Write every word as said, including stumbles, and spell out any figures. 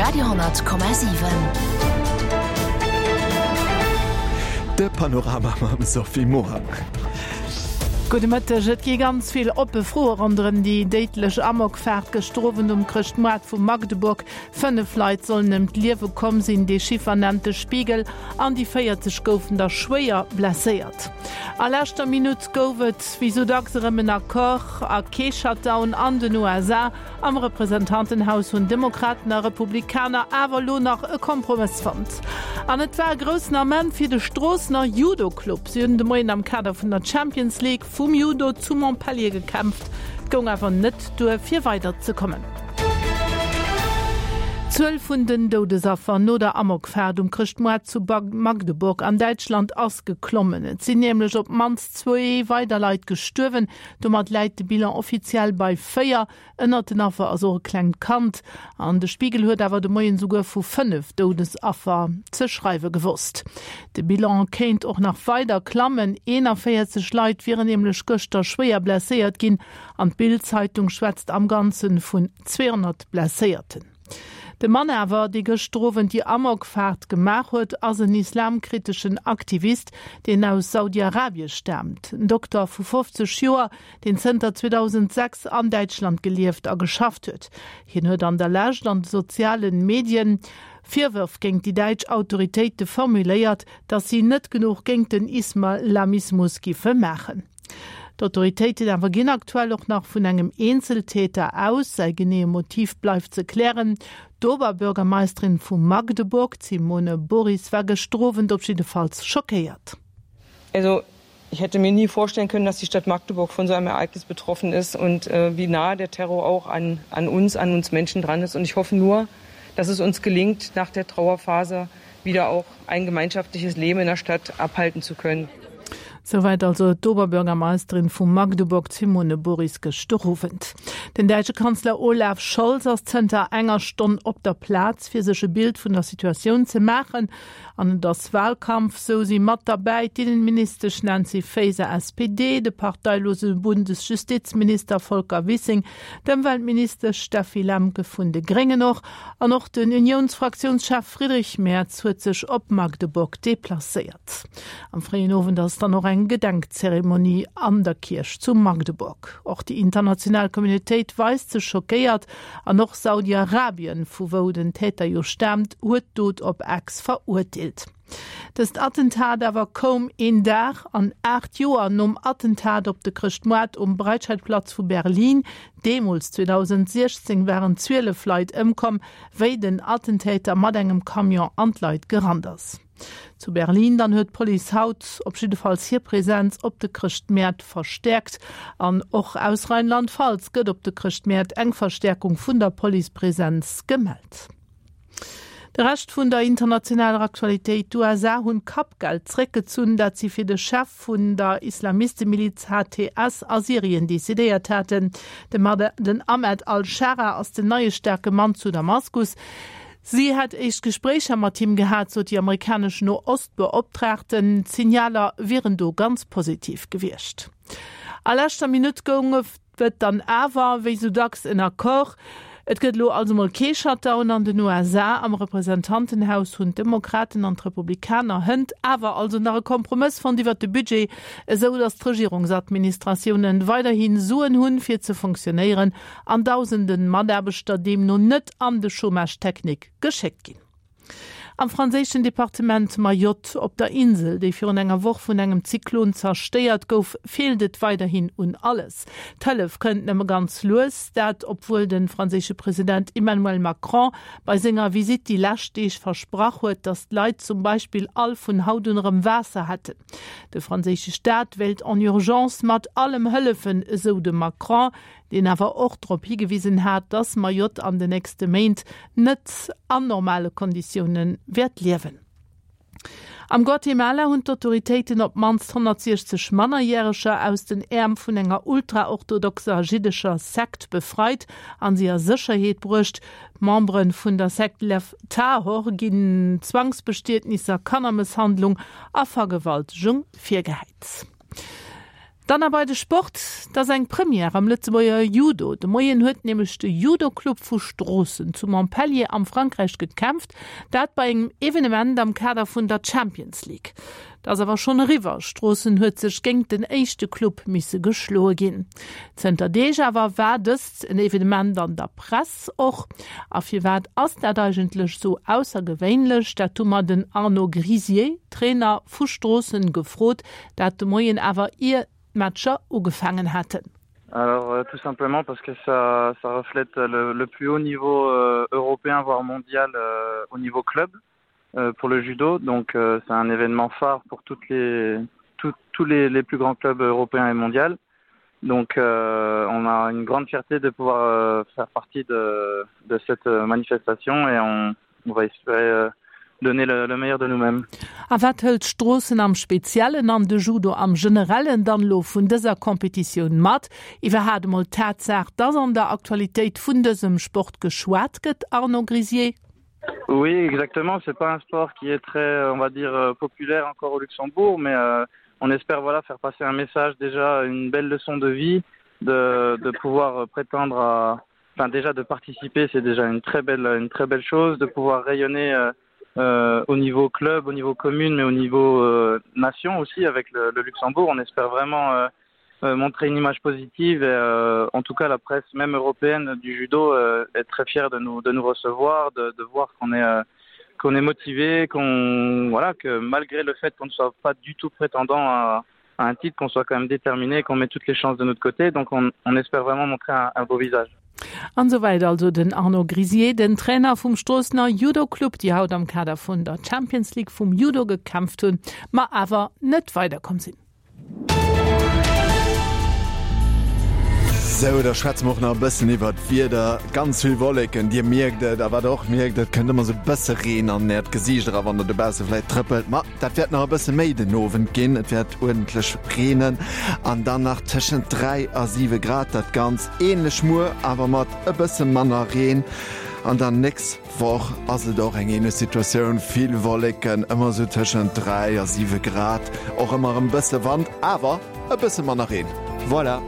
Radio honnert Komma siwen. De Panorama mam Sophie Morang. Gudde Mëtteg. Et gi ganz vill oppe Froe ronderëm déi déidlech Amokfaart gëschter Owend um Chrëschtmoart vu Magdeburg. Fënnef Leit sollen ëm d'Liewe komm sinn, dee Chiffer nennt de Spiegel, an déi véierzeg goufen der schwéier blesséiert. A leschter Minutt gouf et wéi sou dacks erëm en Accord a kee Shutdown an den U S A. Am Representantenhaus hunn Demokraten a Republikaner awer elo nach e Kompromëss fonnt. An et war e groussen Ament fir de Stroossener Judo Club. Si hunn de Moien am Kader vun der Champions League vum Judo zu Montpellier gekämpft. Et goung awer net duer fir weider ze kommen. D'Zuel vun den Doudesaffer no der Amokfaart um Chrëschtmoart zu Magdeburg an Däitschland ass geklommen. Et sinn nämlech op d'mannst zwee weider Leit gestuerwen. Domat läit de Bilan offiziell bei véier. Ënnert den Affer ass och e klengt Kand. An de Spiegel huet awer de Moien souguer vu fënnef Doudesaffer ze schreiwe gewosst. De Bilan kéint och nach weider klammen. eenanvéierzeg Leit wieren nämlech gëschter schwéier blesséiert ginn. An d'Bild-Zeitung schwätzt am Ganze vun zweehonnert Blesséierten. De Mann awer, dee gëschter Owend déi Amokfaart gemaach huet, ass en islamkriteschen Aktivist, deen aus Saudi-Arabie staamt. En Dokter vu fofzeg Joer, deen zënter zweedausendsechs an Däitschland gelieft a geschafft huet. Hien huet an der Lescht an de sozialen Medien Virwërf géint déi däitsch Autoritéite formuléiert, datt si net genuch géint den Islamismus giffe maachen. D'Autoritéiten awer ginn aktuell och nach vun engem Eenzeltäter aus. Säi geneeë Motiv bleift ze klären. D'Oberbürgermeisterin vu Magdeburg, d'Simone Boris, war gëschter Owend op jiddefalls schockéiert. Also, ich hätte mir nie vorstellen können, dass die Stadt Magdeburg von so einem Ereignis betroffen ist und, äh, wie nahe der Terror auch an, an uns, an uns Menschen dran ist. Und ich hoffe nur, dass es uns gelingt, nach der Trauerphase wieder auch ein gemeinschaftliches Leben in der Stadt abhalten zu können. Souwäit also d'Oberbürgermeisterin vu Magdeburg, d'Simone Boris, gëschter Owend. Den däitsche Kanzler Olaf Scholz ass zënter enger Stonn op der Plaz, fir sech e Bild vun der Situatioun ze maachen. An et ass Wahlkampf, sou si mat derbäi d'Innenministesch Nancy Faeser, S P D, de parteilose Bundesjustizminister Volker Wissing, d'Ëmweltministesch Steffi Lemke vun de Gréngen och an och den Unionsfraktiounschef Friedrich Merz huet sech op Magdeburg deplacéiert. Am fréien Owend ass dann och eng Gedenkzeremonie an der Kierch zu Magdeburg. Och déi international Communautéit weist sech schockéiert an och Saudi-Arabien, vu wou den Täter jo staamt, huet d'Dot op Ex verurteelt. Dëst Attentat awer koum een Dag an aacht Joer nom Attentat op de Chrëschtmoart um Breitscheidplatz vu Berlin. Deemools zweedausendsechzéng waren zwielef Leit ëmkomm, wéi den Attentäter mat engem Camion an d'Leit gerannt ass. Zu Berlin dann huet d'Police haut op jiddefalls hir Präsenz op de Chrëschtmäert verstäerkt. An och aus Rheinland-Pfalz gëtt op de Chrëschtmäert eng Verstärkung vun der Policepräsenz gemellt. De Rescht vun der internationaler Aktualitéit: D'U S A hunn Kappgeld zréckgezunn, dat si fir de Chef vun der Islamistemiliz H T S a Syrien decidéiert haten. De Mad-, den Ahmed al-Schara ass den neie staarke Mann zu Damaskus. Si hätt éischt Gespréicher mat him gehat, sot déi amerikanesch No-Ost-Beoptraagten. D'Signaler wieren do ganz positiv gewiescht. A leschter Minutt goung et dann awer, wéi sou dacks, en Accord. Et gëtt elo also mol kee Shutdown an den U S A. Am Representantenhaus hunn d'Demokraten an d'Republikaner hënt awer also nach e Kompromëss fonnt iwwer de Budget, esou datt d'Regierungsadministratiounen weiderhin Suen hunn, fir ze funktionéieren an dausenden Mataarbechter deemno net an de Chômage technique geschéckt ginn. Am franséischen Departement Mayotte op der Insel, déi virun enger Woch vun engem Zyklon zerstéiert gouf, feelt et weiderhin un alles. D'Hëllef kënnt nëmme ganz lues, dat obwuel de franséische President Emmanuel Macron bei senger Visitt déi lescht Deeg versprach huet, datt d'Leit zum Beispill all vun haut un erëm Waasser hätten. De franséische Staat wéilt en Urgence mat allem hëllefen, esou de Macron, deen awer och drop higewisen hat, datt Mayotte an den nächste Méint net an normale Konditiounen wäert liewen. Am Guatemala hunn d'Autoritéiten op d'mannst honnertsiechzeg Mannerjäreger aus den Äerm vun enger ultraorthodoxer jiddescher Sekt befreit an si a Sécherheet bruecht. D'Membere vun der Sekt Lev Tahor ginn Zwangsbestietnisser, Kannermësshandlung a Vergewaltegung virgehäit. Dann nach bei de Sport, dat ass eng Première am Lëtzebuerger Judo. De Moien huet nämlech de Judoclub vu Stroossen zu Montpellier am Frankräich gekämpft, dat bei engem Evenement am Kader vun der Champions League. Dat ass awer schonn eriwwer, Stroossen huet sech géint den éischte Club misse geschloe ginn. Zënter Deeg awer war dëst en Evenement an der Press och. A firwat ass dat eigentlech sou aussergewéinlech? Dat hu mer den Arnaud Grisier, Trainer vu Stroossen, gefrot, dat de Moien awer ier d'Matcher ugefaangen haten. Alors euh, tout simplement parce que ça, ça reflète le, le plus haut niveau euh, européen voire mondial euh, au niveau club euh, pour le judo. Donc euh, c'est un événement phare pour toutes les, tout, tous les, les plus grands clubs européens et mondiaux. Donc euh, on a une grande fierté de pouvoir euh, faire partie de, de cette manifestation et on, on va espérer euh, donner le, le meilleur de nous-mêmes. A wat hëlt Stroossen am Speziellen an de Judo am Generellen dann elo vun dëser Kompetitioun mat? Iwwerhaapt emol d'Tatsaach, dass an der Aktualitéit vun dësem Sport geschwat gëtt, Arnaud Grisier? Oui, exactement. C'est pas un sport qui est très, on va dire, euh, populaire encore au Luxembourg, mais euh, on espère voilà, faire passer un message déjà, une belle leçon de vie, de, de pouvoir prétendre à, enfin déjà de participer, c'est déjà une très belle, une très belle chose, de pouvoir rayonner euh, euh, au niveau club, au niveau commune, mais au niveau euh, nation aussi avec le, le Luxembourg. On espère vraiment euh, euh, montrer une image positive et euh, en tout cas la presse même européenne du judo euh, est très fière de nous, de nous recevoir, de, de voir qu'on est, euh, qu'on est motivé, qu'on voilà, que malgré le fait qu'on ne soit pas du tout prétendant à, à un titre, qu'on soit quand même déterminé, qu'on met toutes les chances de notre côté. Donc on, on espère vraiment montrer un, un beau visage. An souwäit also den Arnaud Grisier, den Trainer vum Stroossener Judo Club, déi haut am Kader vun der Champions League vum Judo gekämpft hunn, ma awer net weiderkomm sinn. Sou, da schwätze mer och nach e bëssen iwwer d'Wieder. Ganz vill Wolleken, Dir mierkt et, a wat der och mierkt, et kënnt ëmmer sou e bësse Reen an Äert Gesiicht era wann der dobausse vläicht trëppelt. Ma dat wäert nach e bësse méi den Owend ginn, et wäert uerdentlech reenen an dann nach tëschent dräi a siwe Grad. Dat Ganzt änlech muer, awer mat e bësse manner Reen. An dann nächst Woch ass et och eng änlech Situatioun, vill Wolleken, ëmmer sou tëschent dräi a siwe Grad, och ëmmer e bësse Wand, awer e bësse manner Reen. Voilà.